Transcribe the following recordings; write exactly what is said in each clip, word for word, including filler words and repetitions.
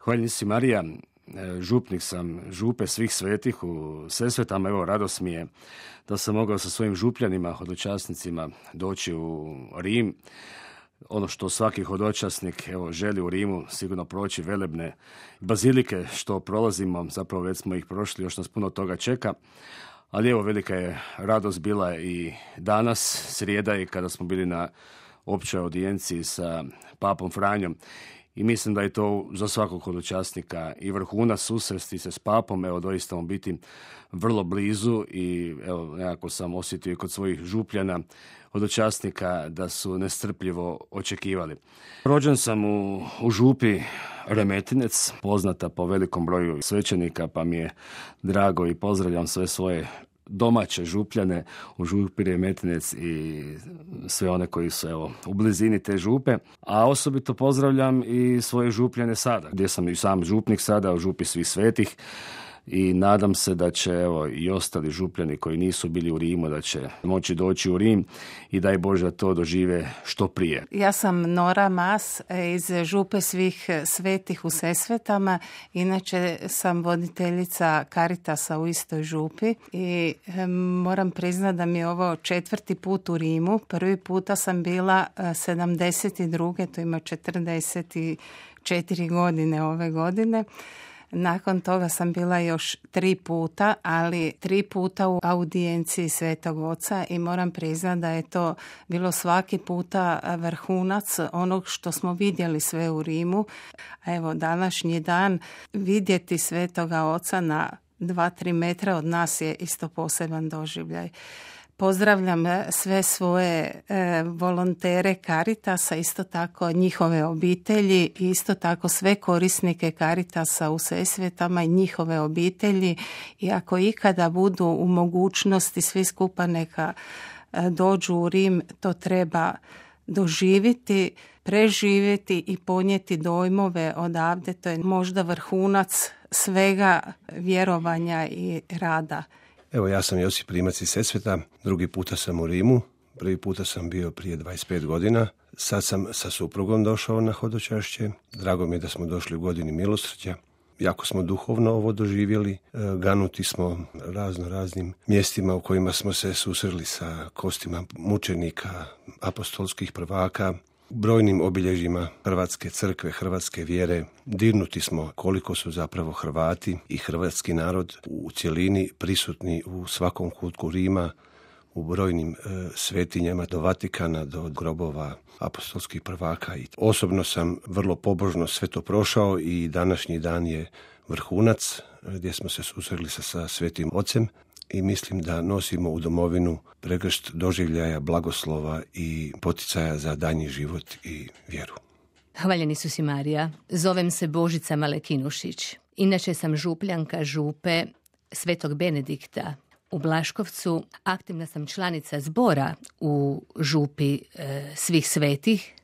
Hvaljen si Marija, župnik sam župe svih svetih u Sesvetama. Evo, radost mi je da sam mogao sa svojim župljanima, hodočasnicima doći u Rim. Ono što svaki hodočasnik evo, želi u Rimu, sigurno proći velebne bazilike što prolazimo, zapravo već smo ih prošli, još nas puno toga čeka. Ali evo, velika je radost bila i danas, srijeda, i kada smo bili na općoj audijenciji sa papom Franjom. I mislim da je to za svakog hodočasnika i vrhunac susresti se s papom, evo doista mu biti vrlo blizu i evo nekako sam osjetio i kod svojih župljana hodočasnika da su nestrpljivo očekivali. Rođen sam u, u župi Remetinec, poznata po velikom broju svećenika, pa mi je drago i pozdravljam sve svoje domaće župljane u župi Remetinec i sve one koji su evo, u blizini te župe, a osobito pozdravljam i svoje župljane sada, gdje sam i sam župnik sada u župi svih svetih, i nadam se da će evo, i ostali župljani koji nisu bili u Rimu, da će moći doći u Rim i daj Bože da to dožive što prije. Ja sam Nora Mas iz župe svih svetih u Sesvetama. Inače sam voditeljica Caritasa u istoj župi i moram priznati da mi je ovo četvrti put u Rimu. Prvi puta sam bila sedamdeset druge to ima četrdeset četiri godine ove godine. Nakon toga sam bila još tri puta, ali tri puta u audijenciji Svetog Oca i moram priznati da je to bilo svaki puta vrhunac onog što smo vidjeli sve u Rimu. A evo, današnji dan vidjeti Svetoga Oca na dva tri metra od nas je isto poseban doživljaj. Pozdravljam sve svoje e, volontere Caritasa, isto tako njihove obitelji i isto tako sve korisnike Caritasa u Sesvetama i njihove obitelji. I ako ikada budu u mogućnosti svi skupa neka e, dođu u Rim, to treba doživjeti, preživjeti i ponijeti dojmove odavde. To je možda vrhunac svega vjerovanja i rada. Evo, ja sam Josip Rimac iz Sesveta, drugi puta sam u Rimu, prvi puta sam bio prije dvadeset pet godina, sad sam sa suprugom došao na hodočašće, drago mi je da smo došli u godini milosrđa, jako smo duhovno ovo doživjeli, ganuti smo razno raznim mjestima u kojima smo se susreli sa kostima mučenika, apostolskih prvaka, brojnim obilježjima Hrvatske crkve, hrvatske vjere. Dirnuti smo koliko su zapravo Hrvati i hrvatski narod u cjelini prisutni u svakom kutku Rima, u brojnim e, svetinjama do Vatikana, do grobova apostolskih prvaka. I osobno sam vrlo pobožno sve to prošao i današnji dan je vrhunac gdje smo se susreli sa, sa Svetim Ocem. I mislim da nosimo u domovinu pregršt doživljaja, blagoslova i poticaja za daljnji život i vjeru. Hvaljeni su si Marija. Zovem se Božica Malekinušić. Inače sam župljanka župe Svetog Benedikta u Blaškovcu. Aktivna sam članica zbora u župi e, svih svetih,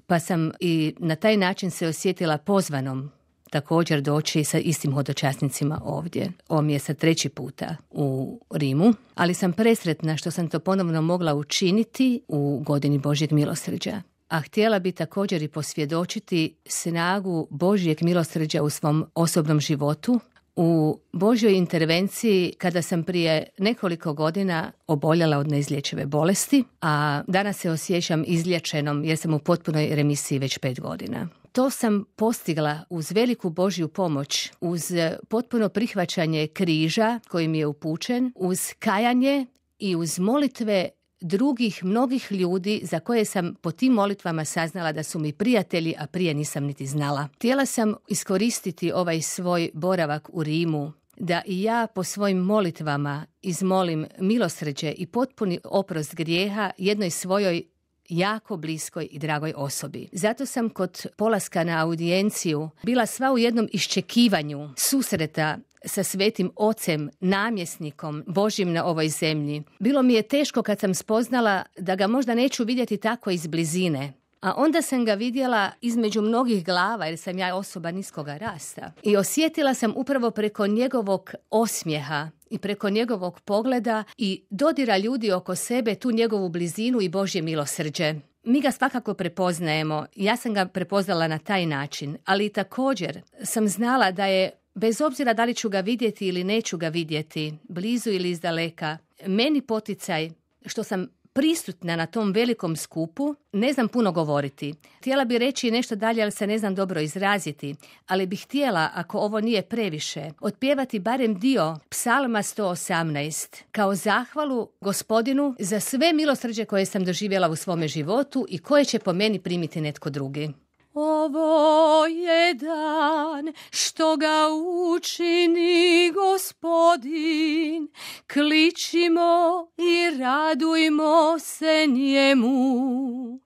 pa sam i na taj način se osjetila pozvanom također doći sa istim hodočasnicima ovdje. Ovo mi je sad treći puta u Rimu, ali sam presretna što sam to ponovno mogla učiniti u godini Božjeg milosrđa. A htjela bi također i posvjedočiti snagu Božjeg milosrđa u svom osobnom životu, u Božjoj intervenciji kada sam prije nekoliko godina oboljela od neizlječive bolesti, a danas se osjećam izliječenom jer sam u potpunoj remisiji već pet godina. To sam postigla uz veliku Božju pomoć, uz potpuno prihvaćanje križa koji mi je upućen, uz kajanje i uz molitve drugih mnogih ljudi za koje sam po tim molitvama saznala da su mi prijatelji, a prije nisam niti znala. Htjela sam iskoristiti ovaj svoj boravak u Rimu da i ja po svojim molitvama izmolim milosrđe i potpuni oprost grijeha jednoj svojoj jako bliskoj i dragoj osobi. Zato sam kod polaska na audijenciju bila sva u jednom iščekivanju susreta sa Svetim Ocem, namjesnikom Božjim na ovoj zemlji. Bilo mi je teško kad sam spoznala da ga možda neću vidjeti tako iz blizine. A onda sam ga vidjela između mnogih glava, jer sam ja osoba niskoga rasta. I osjetila sam upravo preko njegovog osmijeha i preko njegovog pogleda i dodira ljudi oko sebe tu njegovu blizinu i Božje milosrđe. mi ga svakako prepoznajemo. Ja sam ga prepoznala na taj način, ali također sam znala da je, bez obzira da li ću ga vidjeti ili neću ga vidjeti, blizu ili izdaleka, meni poticaj što sam prisutna na tom velikom skupu, ne znam puno govoriti. Htjela bi reći nešto dalje, ali se ne znam dobro izraziti, ali bih htjela, ako ovo nije previše, otpjevati barem dio Psalma sto osamnaest kao zahvalu Gospodinu za sve milosrđe koje sam doživjela u svome životu i koje će po meni primiti netko drugi. Ovo je dan što ga učini Gospodin, kličimo i radujmo se njemu.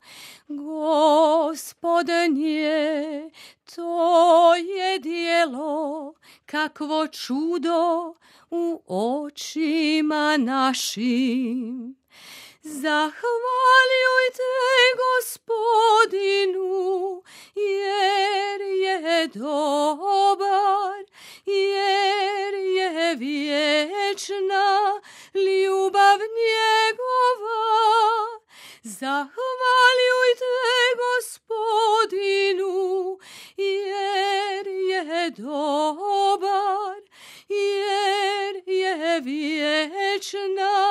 Gospodnje, to je djelo, kakvo čudo u očima našim. Zahvaljujte Gospodinu, jer je dobar, jer je vječna ljubav njegova. Zahvaljujte Gospodinu, jer je dobar, jer je vječna